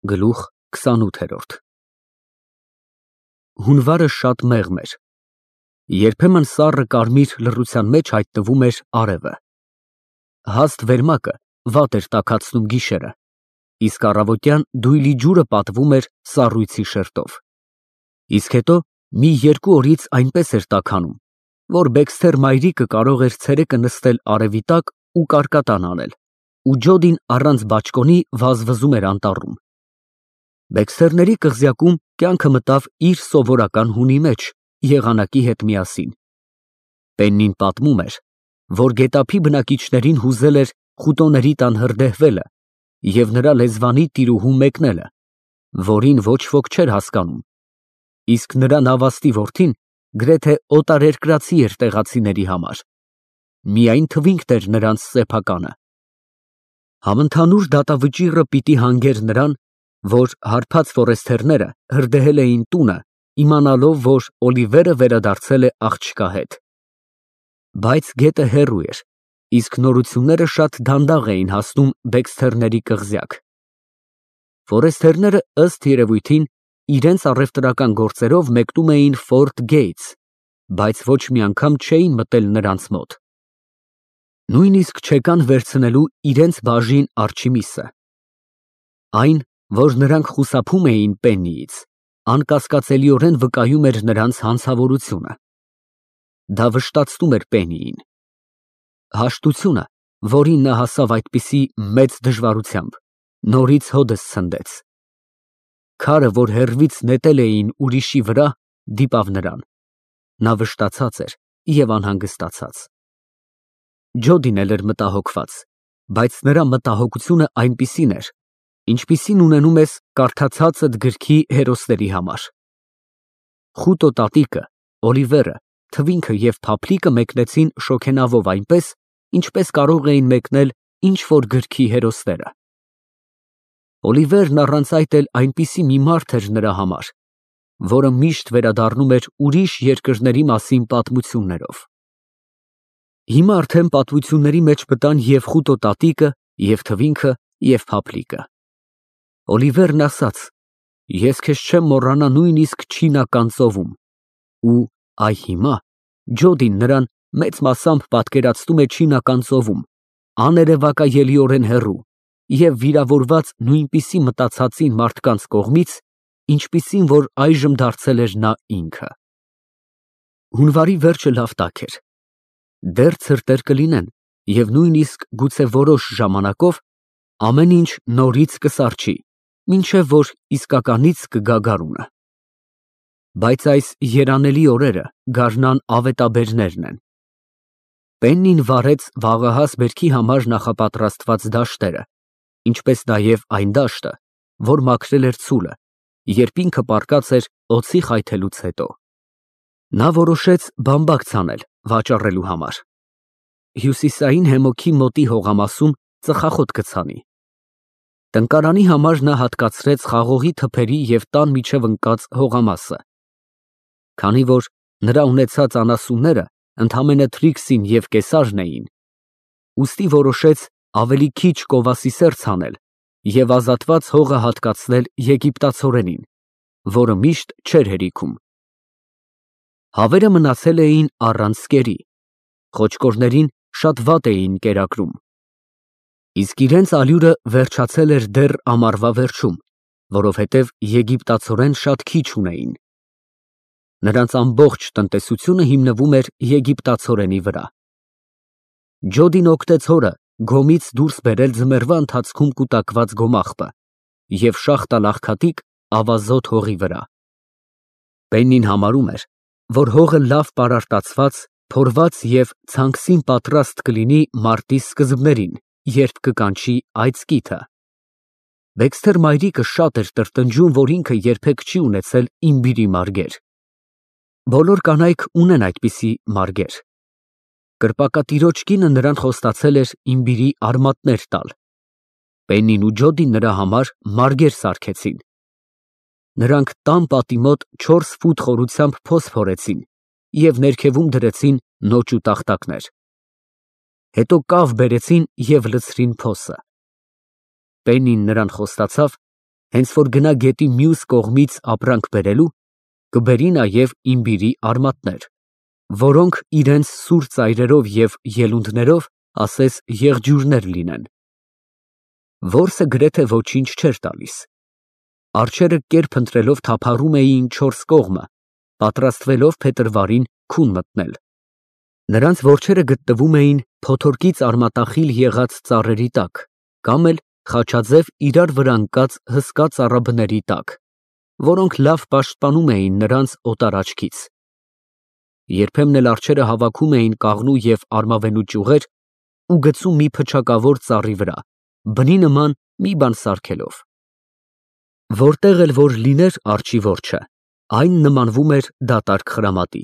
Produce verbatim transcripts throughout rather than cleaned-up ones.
Գլուխ քսանութ Հունվարը շատ մեղմ էր։ Երբեմն սառը կարմիր լռության մեջ հայտնվում էր արևը։ Հաստ վերմակը վատ էր տաքացնում գիշերը, իսկ առավոտյան դույլի ջուրը պատվում էր սառույցի շերտով։ Իսկ հետո մի երկու օրից այնպես էր տաքանում, որ Բեքսթեր մայրիկը կարող էր ցերեկը նստել արևի տակ ու կարկատան անել, ու Ջոդին առանց բաճկոնի վազվզում էր անտառում։ Բեքսթերների կղզյակում կյանքը մտավ իր սովորական հունի մեջ, եղանակի հետ միասին։ Պեննին պատմում էր, որ գետափի բնակիչներին հուզել էր խուտոների տան հրդեհվելը և նրա լեզվանի տիրուհու մեկնելը, որին ոչ ոք չէր հասկանում, իսկ նրա նավաստի որդին գրեթե օտարերկրացի էր տեղացիների համար, միայն թվինքն էր նրանց սեփականը։ Համընդհանուր դատավճիռը պիտի հանգեր նրան, որ հարբած ֆորեստերները հրդեհել էին տունը, իմանալով, որ Օլիվերը վերադարձել է աղջկա հետ։ Բայց գետը հեռու էր, իսկ նորությունները շատ դանդաղ էին հասնում Բեքսթերների կղզյակ։ Ֆորեստերները, ըստ երևույթին, իրենց առևտրական գործերով մեկնում էին Ֆորտ Գեյթս, բայց ոչ մի անգամ չէին մտել նրանց մոտ։ Նույնիսկ չեկան վերցնելու իրենց բաժին Արչիմիսը։ Այն, որ նրանք խուսափում էին Պեննիից, անկասկածելիորեն վկայում էր նրանց հանցավորությունը։ Դա վշտացնում էր Պեննիին։ Հաշտությունը, որին նա հասավ այդպիսի մեծ դժվարությամբ, նորից հօդս ցնդեց։ Քարը, որ հեռվից նետել էին ուրիշի վրա, դիպավ նրան։ Նա վշտացած էր և անհանգստացած։ Ջոդին էլ էր մտահոգված, բայց նրա մտահոգությունը այնպիսին էր, ինչպիսին ունենում ես կարդացածդ գրքի հերոսների համար։ Խուտո տատիկը, Օլիվերը, թվինքը և Փափլիկը մեկնեցին շոգենավով այնպես, ինչպես կարող էին մեկնել ինչ-որ գրքի հերոսները։ Օլիվերն առանց այդ էլ այնպիսի մի մարդ էր նրա համար, որը միշտ վերադառնում էր ուրիշ երկրների մասին պատմություններով։ Հիմա արդեն պատմությունների մեջ մտան և Խուտո տատիկը, և թվինքը, և Փափլիկը։ Օլիվերն ասաց. «Ես քեզ չեմ մոռանա նույնիսկ չինական ծովում», ու այ հիմա Ջոդին նրան մեծ մասամբ պատկերացնում է չինական ծովում, աներևակայելիորեն հեռու և վիրավորված նույնպիսի մտածածին մարդկանց կողմից, ինչպիսին որ այժմ դարձել էր նա ինքը։ Հունվարի վերջը լավ տաք էր։ Դեռ ցրտեր կլինեն և նույնիսկ գուցե որոշ ժամանակով ամեն ինչ նորից կսառչի, մինչև որ իսկականից կգա գարունը։ Բայց այս երանելի օրերը գարնան ավետաբերներն են։ Պեննին վառեց վաղահաս բերքի համար նախապատրաստված դաշտերը, ինչպես նաև այն դաշտը, որ մաքրել էր ցուլը, երբ ինքը պառկած էր օձի խայթելուց հետո։ Նա որոշեց բամբակ ցանել վաճառելու համար։ Հյուսիսային Հեմոքի մոտի հողամասում ծխախոտ կցանի։ Տնկարանի համար նա հատկացրեց խաղողի թփերի և տան միջև ընկած հողամասը։ Քանի որ նրա ունեցած անասունները ընդամենը Թրիքսին և Կեսարն էին, ուստի որոշեց ավելի քիչ կովասի սերծ հանել և ազատված հողը հատկացնել եգիպտացորենին, որը միշտ չէր հերիքում։ Հավերը մնացել էին առանց կերի, խոճկորներին շատ վատ էին կերակրում, իսկ իրենց ալյուրը վերջացել էր դեռ ամառվա վերջում, որովհետև եգիպտացորեն շատ քիչ ունեին։ Նրանց ամբողջ տնտեսությունը հիմնվում էր եգիպտացորենի վրա։ Ջոդին օգտեց հորը գոմից դուրս բերել ձմեռվա ընթացքում կուտակված գոմաղբը և շաղ տալ աղքատիկ ավազոտ հողի վրա։ Պեննին համարում էր, որ հողը լավ պարարտացված, փորված և ցանքսին պատրաստ կլինի մարտի սկզբներին, երբ կկանչի այծկիթը։ Բեքսթեր մայրիկը շատ էր տրտնջում, որ ինքը երբեք չի ունեցելիմբիրի մարգեր։ Բոլոր կանայք ունեն այդպիսի մարգեր։ Կրպակատիրոջ կինը նրան խոստացել էր իմբիրի արմատներ տալ։ Պեննին ու Ջոդին նրա համար մարգեր սարքեցին։ Նրանք տան պատի մոտ չորս ֆուտ խորությամբ փոս փորեցին և ներքևում դրեցին նոճ ու տախտակներ։ Հետո կավ բերեցին և լցրին փոսը։ Պեննին նրան խոստացավ, Հենց որ գնա գետի մյուս կողմից ապրանք բերելու, կբերի նաև իմբիրի արմատներ, որոնք իրենց սուր ծայրերով և ելունդներով ասես եղջյուրներ լինեն։ Որսը գրեթե ոչինչ չէր տալիս։ Արջերը կերպ ընտրելով թափառում էին չորս կողմը, պատրաստվելով փետրվարին քուն մտնել։ Նրանց որջերը գտնվում էին փոթորկից արմատախիլ եղած ծառերի տակ, կամ էլ խաչաձև իրար վրա ընկած հսկա ծառաբների տակ, որոնք լավ պաշտպանում էին նրանց օտար աչքից։ Երբեմն էլ արջերը հավաքում էին կաղնու և արմավենու ճյուղեր ու գցում մի փչակավոր ծառի վրա, բնի նման մի բան սարքելով։ Որտեղ էլ որ լիներ արջի որջը, այն նմանվում էր դատարկ խրամատի,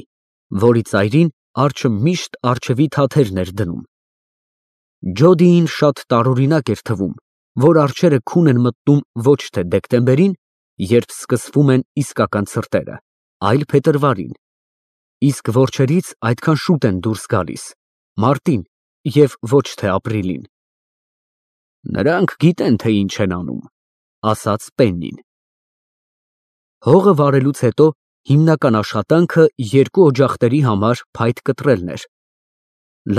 որի ծայրին արջը միշտ առջևի թաթերն էր դնում։ Ջոդիին շատ տարօրինակ էր թվում, որ արջերը քուն են մտնում ոչ թե դեկտեմբերին, երբ սկսվում են իսկական ցրտերը, այլ փետրվարին, իսկ որջերից այդքան շուտ են դուրս գալիս, մարտին և ոչ թե ապրիլին։ Նրանք գիտեն, թե ինչ են անում, ասաց Պեննին։ Հողը վարելուց հետո հիմնական աշխատանքը երկու օջախների համար փայտ կտրելն էր։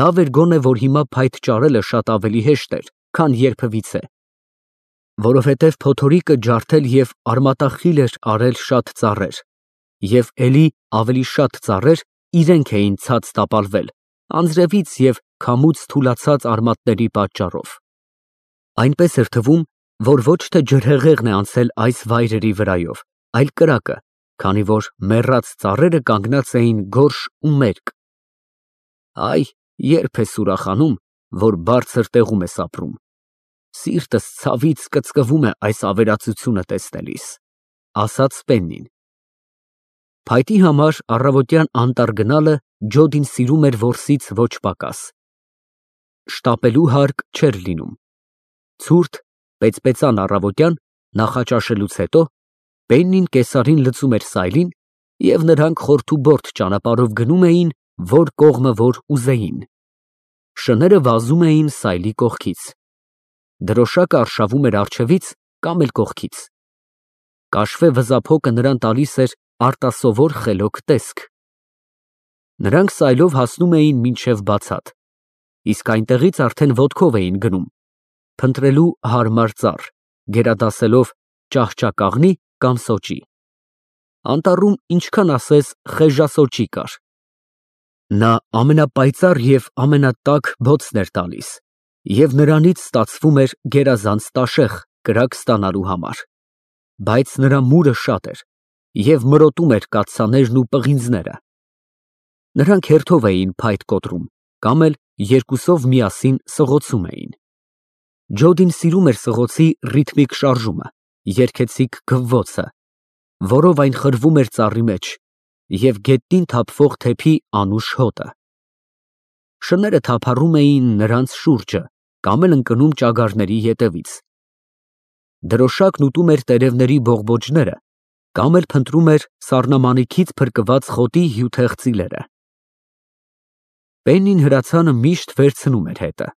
Լավ էր գոնե, որ հիմա փայտ ճարելը շատ ավելի հեշտ էր, քան երբևիցե, որովհետև փոթորիկը ջարդել և արմատախիլ էր արել շատ ծառեր, և էլի ավելի շատ ծառեր իրենք էին ցած տապալվել անձրևից և քամուց թուլացած արմատների պատճառով։ Այնպես էր թվում, որ ոչ թե ջրհեղեղն է անցել այս վայրերի վրայով, այլ կրակը, քանի որ մեռած ծառերը կանգնած էին գորշ ու մերկ։ Այ, երբ ես ուրախանում, որ բարձր տեղում ես ապրում, սիրտս ցավից կծկվում է այս ավերածությունը տեսնելիս, ասաց Պեննին։ Փայտի համար առավոտյան անտառ գնալը Ջոդին սիրում էր որսից ոչ պակաս։ Շտապելու հարկ չէր լինում։ Ցուրտ, պեծպեցան առավոտյան, նախաճաշելուց հետո, Պեննին կեսարին լցում էր սայլին, և նրանք խորթուբորթ ճանապարհով գնում էին, որ կողմը որ ուզեին։ Շները վազում էին սայլի կողքից։ Դրոշակը արշավում էր առջևից կամ էլ կողքից։ Կաշվե վզափոկը նրան տալիս էր արտասովոր խելոք տեսք։ Նրանք սայլով հասնում էին մինչև բացատ, իսկ այնտեղից արդեն ոտքով էին գնում, փնտրելու հարմար ծառ, գերադասելով ճահճակաղնի կամ սոճի։ Անտառում ինչքան ասես խեժասոճի կար։ Նա ամենապայծառ և ամենատաք բոցն էր տալիս, և նրանից ստացվում էր գերազանց տաշեղ կրակ ստանալու համար, բայց նրա մուրը շատ էր և մրոտում էր կաթսաներն ու պղինձները։ Նրանք հերթով էին փայտ կոտրում կամ էլ երկուսով միասին սղոցում էին։ Ջոդին սիրում էր սղոցի ռիթմիկ շարժումը, երգեցիկ գվվոցը, որով այն խրվում էր ծառի մեջ, և գետնին թափվող թեփի անուշ հոտը։ Շները թափառում էին նրանց շուրջը կամ էլ ընկնում ճագարների ետևից։ Դրոշակն ուտում էր տերևների բողբոջները կամ էլ փնտրում էր սառնամանիքից փրկված խոտի հյութեղ ծիլերը։ Պեննին հրացանը միշտ վերցնում էր հետը։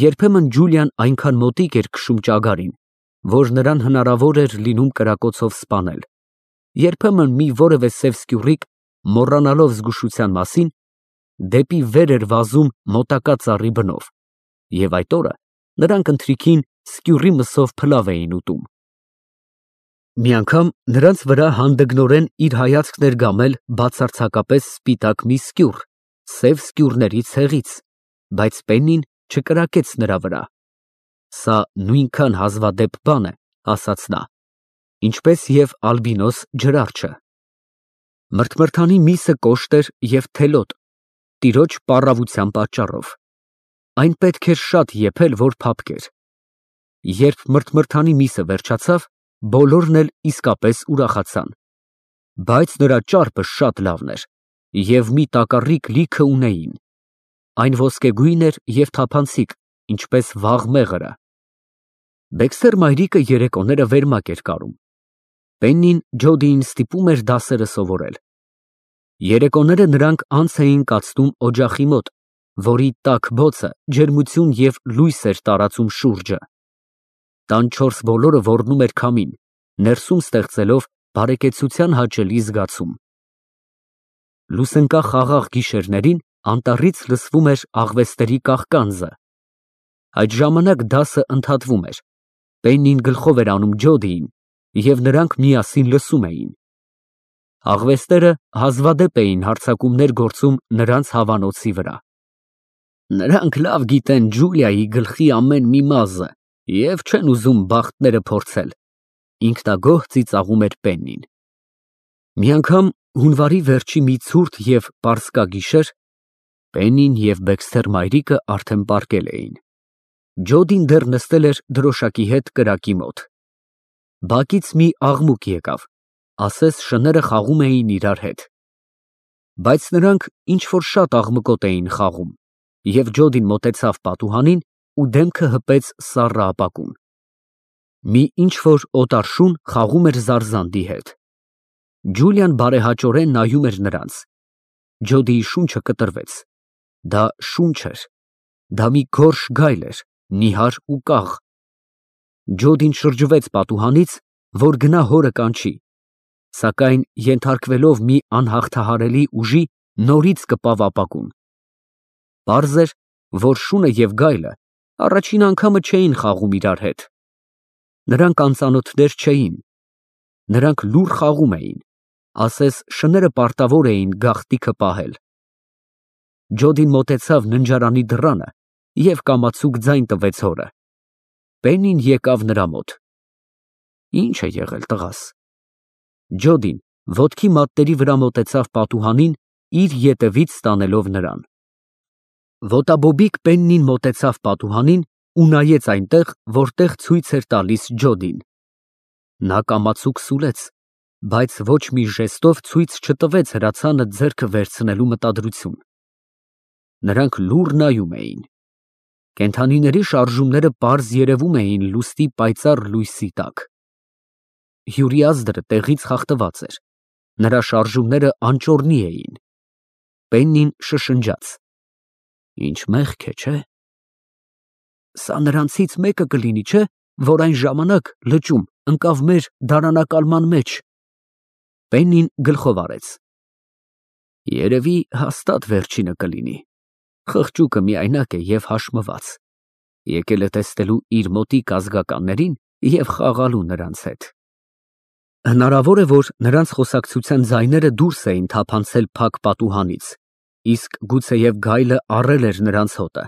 Երբեմն Ջուլիան այնքան մոտիկ էր քշում ճագարին, որ նրան հնարավոր էր լինում կրակոցով սպանել, երբեմն մի որևէ սև սկյուռիկ, մոռանալով զգուշության մասին, դեպի վեր էր վազում մոտակա ծառի բնով, և այդ օրը նրանք ընթրիքին սկյուռի մսով փլավ էին ուտում։ Մի անգամ նրանց վրա հանդգնորեն իր հայացքն էր գամել բացարձակապես սպիտակ մի սկյուռ, սև սկյուռների ցեղից, բայց Պեննին չկրակեց նրա վրա։ Սա նույնքան հազվադեպ բան է, ասաց նա, ինչպես և ալբինոս ջրարջը։ Մրթմրթանի միսը կոշտ էր և թելոտ, տիրոջ պառավության պատճառով։ Այն պետք էր շատ եփել, որ փափկեր։ Երբ մրթմրթանի միսը վերջացավ, բոլորն էլ իսկապես ուրախացան, բայց նրա ճարպը շատ լավն էր և մի տակառիկ լիքը ունեին։ Այն ոսկեգույն էր և թափանցիկ, ինչպես վաղ մեղրը։ Բեքսեր մայրիկը երեկոները վերմակ էր կարում։ Պեննին Ջոդիին ստիպում էր դասերը սովորել։ Երեկոները նրանք անց էին կացնում օջախի մոտ, որի տաք բոցը ջերմություն և լույս էր տարածում շուրջը։ Տանչորս բոլորը ոռնում էր քամին, ներսում ստեղծելով բարեկեցության հաճելի զգացում։ Լուսընկա խաղաղ գիշերներին անտառից լսվում էր աղվեստերի կաղկանձը։ Այդ ժամանակ դասը ընդհատվում էր, Պեննին գլխով էր անում Ջոդիին, և նրանք միասին լսում էին։ Աղվեստները հազվադեպ էին հարձակումներ գործում նրանց հավանոցի վրա։ Նրանք լավ գիտեն Ջուլիայի գլխի ամեն մի մազը և չեն ուզում բախտները փորձել, ինքնագոհ ծիծաղում էր Պեննին։ Մի անգամ հունվարի վերջի մի ցուրտ և պարսկա գիշեր Պեննին և Բեքսթեր մայրիկը արդեն պառկել էին։ Ջոդին դեռ նստել էր դրոշակի հետ կրակի մոտ։ Բակից մի աղմուկ եկավ, ասես շները խաղում էին իրար հետ։ Բայց նրանք ինչ-որ շատ աղմկոտ էին խաղում, և Ջոդին մոտեցավ պատուհանին ու դեմքը հպեց սառը ապակուն։ Մի ինչ-որ օտար շուն խաղում էր Զարզանդի հետ։ Ջուլիան բարեհաճորեն նայում էր նրանց։ Ջոդիի շունչը կտրվեց։ Դա շուն չէր, դա մի գորշ գայլ էր, նիհար ու կաղ։ Ջոդին շրջվեց պատուհանից, որ գնա հորը կանչի, սակայն ենթարկվելով մի անհաղթահարելի ուժի, նորից կպավ ապակուն։ Պարզ էր, որ շունը և գայլը առաջին անգամը չէին խաղում իրար հետ։ Նրանք անծանոթներ չէին։ Նրանք լուռ խաղում էին, ասես շները պարտավոր էին գաղտնիքը պահել։ Ջոդին մոտեցավ ննջարանի դռանը և կամացուկ ձայն տվեց հորը։ Պեննին եկավ նրա մոտ։ Ի՞նչ է եղել, տղաս։ Ջոդին ոտքի մատների վրա մոտեցավ պատուհանին, իր ետևից տանելով նրան։ Ոտաբոբիկ Պեննին մոտեցավ պատուհանին ու նայեց այնտեղ, որտեղ ցույց էր տալիս Ջոդին։ Նա կամացուկ սուլեց, բայց ոչ մի ժեստով ցույց չտվեց հրացանը ձեռքը վերցնելու մտադրություն։ Նրանք լուռ նայում էին։ Կենդանիների շարժումները պարզ երևում էին լուսնի պայծառ լույսի տակ։ Հյուրիազդրը տեղից խախտված էր, նրա շարժումները անճոռնի էին։ Պեննին շշնջաց. Ինչ մեղք է, չէ՞։ Սա նրանցից մեկը կլինի, չէ՞, որ այն ժամանակ լճում ընկավ մեր դարանակալման մեջ։ Պեննին գլխով արեց։ Երևի հաստատ վերջինը կլինի։ Խղճուկը միայնակ է և հաշմված։ Եկել է տեսնելու իր մոտիկ ազգականներին և խաղալու նրանց հետ։ Հնարավոր է, որ նրանց խոսակցության ձայները դուրս էին թափանցել փակ պատուհանից, իսկ գուցեև գայլը առել էր նրանց հոտը,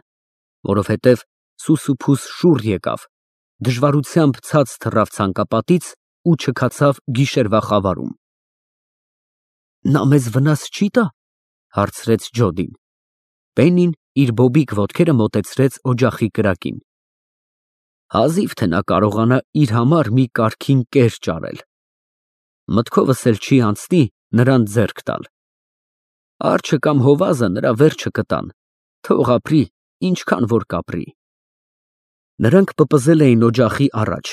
որովհետև սուսուփուս շուռ եկավ, դժվարությամբ ցած թռավ ցանկապատից ու չքացավ գիշերվա խավարում։ Նա մեզ վնաս չի տա, հարցրեց Ջոդին։ Պեննին իր բոբիկ ոտքերը մոտեցրեց օջախի կրակին։ Հազիվ թե նա կարողանա իր համար մի կարգին կեր ճարել։ Մտքովս էլ չի անցնի նրան ձեռք տալ։ Արջը կամ հովազը նրա վերջը կտան, թող ապրի, ինչքան որ կապրի։ Նրանք պպզել էին օջախի առաջ,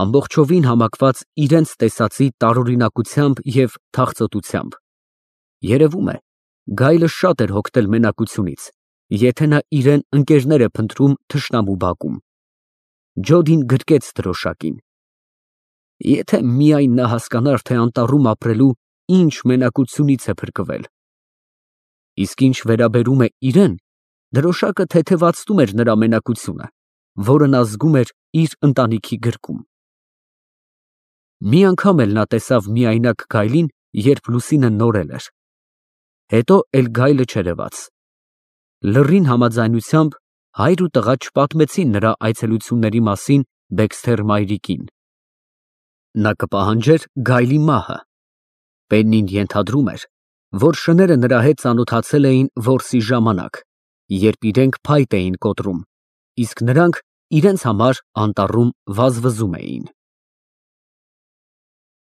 ամբողջովին համակված իրենց տեսածի տարօրինակությամբ և թախծոտությամբ։ Երևում է, գայլը շատ էր հոգնել մենակությունից, եթե նա իրեն ընկերներ է փնտրում թշնամու բակում։ Ջոդին գրկեց դրոշակին։ Եթե միայն նա հասկանար, թե անտառում ապրելու ինչ մենակությունից է փրկվել։ Իսկ ինչ վերաբերում է իրեն, դրոշակը թեթևացնում էր նրա մենակությունը, որը նա զգում էր իր ընտանիքի գրկում։ Մի անգամ էլ նա տեսավ միայնակ գայլին, երբ լուսինը նորել էր։ Հետո էլ գայլը չերևաց։ Լռին համաձայնությամբ հայր ու տղա չպատմեցին նրա այցելությունների մասին Բեքսթեր մայրիկին։ Նա կպահանջեր գայլի մահը։ Պեննին ենթադրում էր, որ շները նրա հետ ծանոթացել էին որսի ժամանակ, երբ իրենք փայտ էին կոտրում, իսկ նրանք իրենց համար անտառում վազվզում էին։